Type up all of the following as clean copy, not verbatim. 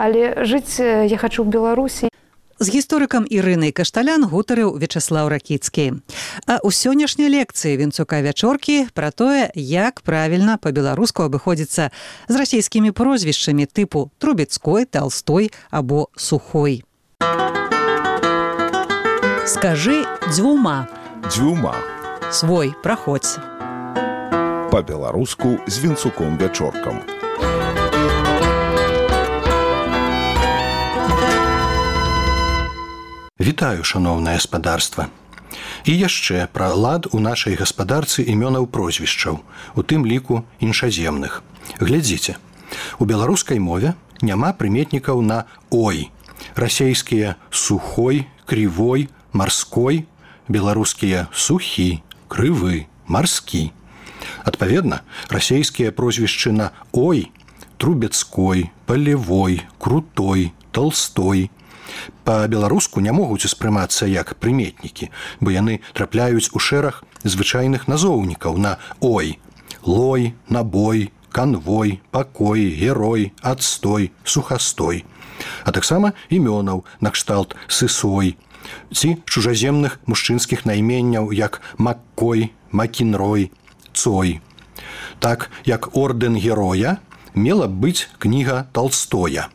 Але жыць я хачу ў Беларусі. З гісторыкам Ірынай Кашталян гутарыў Вячаслаў Ракіцкі. А ў сённяшняй лекцыі Вінцука Вячоркі пра тое, як правільна па-беларуску абыходзіцца з расійскімі прозвішчамі тыпу Трубецкой, Толстой або Сухой. Скажы дзвюма. Дзвюма. Свой, праходзь. Па-беларуску з Вінцуком Вячоркам. Вітаю, шаноўнае гаспадарства. І яшчэ пра лад у нашай гаспадарцы імёнаў прозвішчаў, у тым ліку іншаземных. Глядзіце, у беларускай мове няма прыметнікаў на «ой». Расейскія «сухой», «кривой», «марской», беларускія «сухі», «крывы», «марскі». Адпаведна, расейскія прозвішчы на «ой» – Трубецкой, Полевой, Крутой, Толстой – па-беларуску не могуць успрымацца як прыметнікі, бо яны трапляюць у шэраг звычайных назоўнікаў на «ой» – лой, набой, канвой, пакой, герой, адстой, сухастой. А таксама імёнаў накшталт сысой ці чужаземных мужчынскіх найменняў як Маккой, Макінрой, Цой. Так, як ордэн героя мела б быць кніга Толстоя,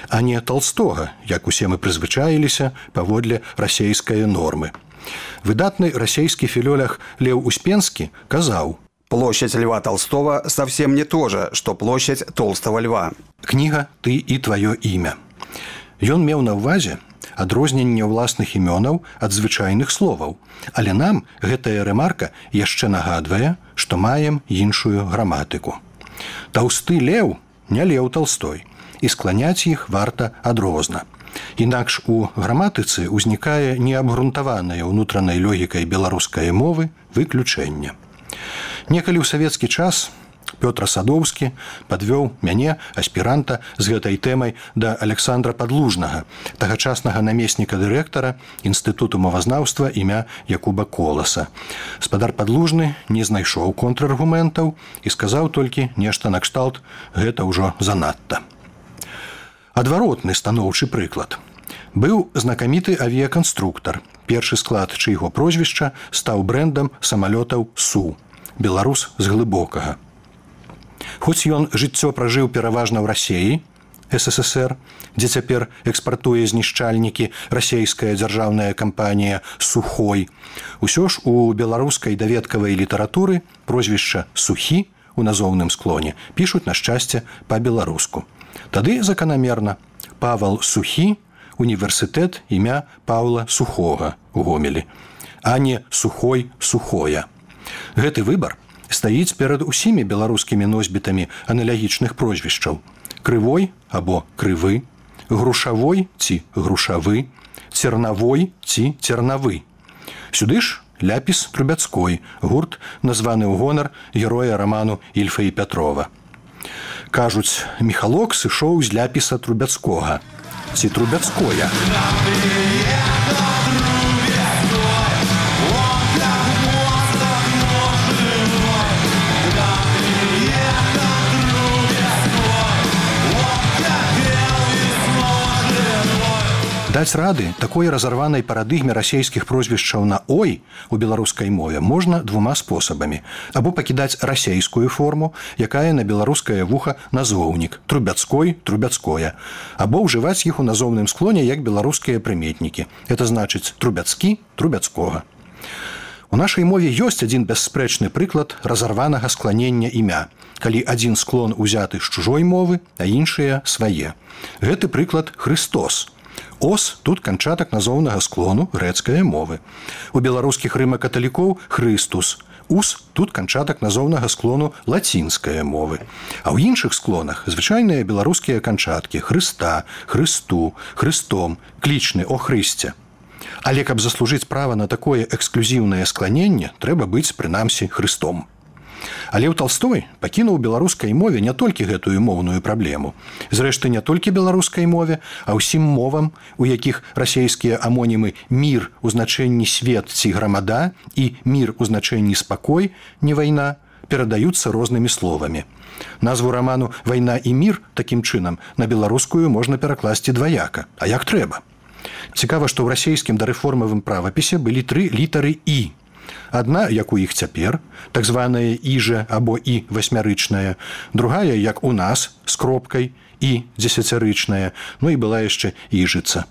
а не Толстога, як усе мы прызвычаіліся паводле расейскай нормы. Выдатны расейскі філолог Леў Успенскі казаў: «Площадь Льва Толстого совсем не то же, что площадь Толстого Льва». Кніга «Ты і тваё імя». Ён меў на ўвазе адрозненне ўласных імёнаў ад звычайных словаў, але нам гэтая рэмарка яшчэ нагадвае, што маем іншую граматыку. Таўсты леў не Леў Толстой, і скланяць іх варта адрозна. Інакш у граматыцы ўзнікае неабгрунтаванае ўнутранай логікай беларускай мовы выключэнне. Некалі ў савецкі час Пётр Садоўскі падвёў мяне, аспіранта, з гэтай тэмай да Александра Падлужнага, тагачаснага намесніка дырэктара Інстытуту мовазнаўства імя Якуба Коласа. Спадар Падлужны не знайшоў контраргументаў і сказаў толькі нешта накшталт «гэта ўжо занадта». Адваротны станоўчы прыклад. Быў знакаміты авіяканструктар, першы склад чыйго прозвішча стаў брэндам самалётаў Су, беларус з глыбокага. Хоць ён жыццё пражыў пераважна ў Расеі, СССР, дзе цяпер экспартуе знішчальнікі расейская дзяржаўная кампанія «Сухой», усё ж у беларускай даведкавай літаратуры прозвішча «Сухі» у назоўным склоне пішуць на шчасце па-беларуску. Тады заканамерна Павал Сухі, універсітэт імя Паўла Сухога у Гомелі, а не Сухой Сухоя. Гэты выбар стаіць перад усімі беларускімі носьбітамі аналагічных прозвішчаў: Крывой або Крывы, Грушавой ці Грушавы, Цернавой ці Цернавы. Сюды ж ляпіс Трубецкой, гурт, названы ў гонар героя раману Ільфа і Пятрова. Кажуць, Міхалок сышоў з ляпіса Трубецкога ці Трубецкоя. Даць рады такой разарванай парадыгме расейскіх прозвішчаў на «ой» у беларускай мове можна двума спосабамі. Або пакідаць расейскую форму, якая на беларускае вуха назоўнік Трубецкой, Трубецкоя, або ўжываць іх у назоўным склоне як беларускія прыметнікі. Это значыць Трубецкі, Трубецкога. У нашай мове ёсць адзін бясспрэчны прыклад разарванага скланення імя, калі адзін склон узяты з чужой мовы, а іншыя свае. Гэты прыклад Хрыстос. Ос тут канчатак назоўнага склону грэцкае мовы. У беларускіх рыма-каталікоў Хрыстус. Ус тут канчатак назоўнага склону лацінскае мовы. А ў іншых склонах звычайныя беларускія канчаткі Хрыста, Хрысту, Хрыстом, клічны о Хрысце. Але каб заслужыць права на такое эксклюзіўнае скланенне, трэба быць прынамсі Хрыстом. Але ў Толстой пакінуў беларускай мове не толькі гэтую моўную праблему. Зрэшты, не толькі беларускай мове, а ўсім мовам, у якіх расейскія амонімы «мір» у значэнні «свет» ці «грамада» і «мір» у значэнні «спакой», не вайна, перадаюцца рознымі словамі. Назву раману «Вайна і мір» такім чынам на беларускую можна перакласці дваяка. А як трэба? Цікава, што ў расійскім дарэформавым правапісе былі 3 літары «і». Адна, як у іх цяпер, так званая «іжа» або «і» васьмярычная, другая, як у нас, з кропкай, «і» дзесяцярычная, ну і была яшчэ «іжыца».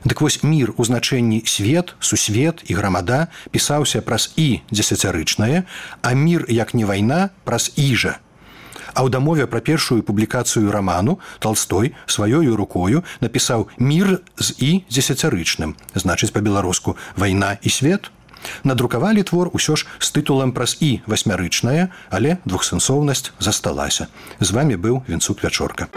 Дык вось мір у значэнні свет, сусвет і грамада пісаўся праз «і» дзесяцярычнае, а мір, як не вайна, праз «іжа». А ў дамове пра першую публікацыю раману Талстой сваёю рукою напісаў «мір з «і» дзесяцярычным», значыць па-беларуску «вайна і свет». Надрукавалі твор усё ж з тытулам праз «і» васьмярычнае, але двухсэнсоўнасць засталася. З вамі быў Вінцук Вячорка.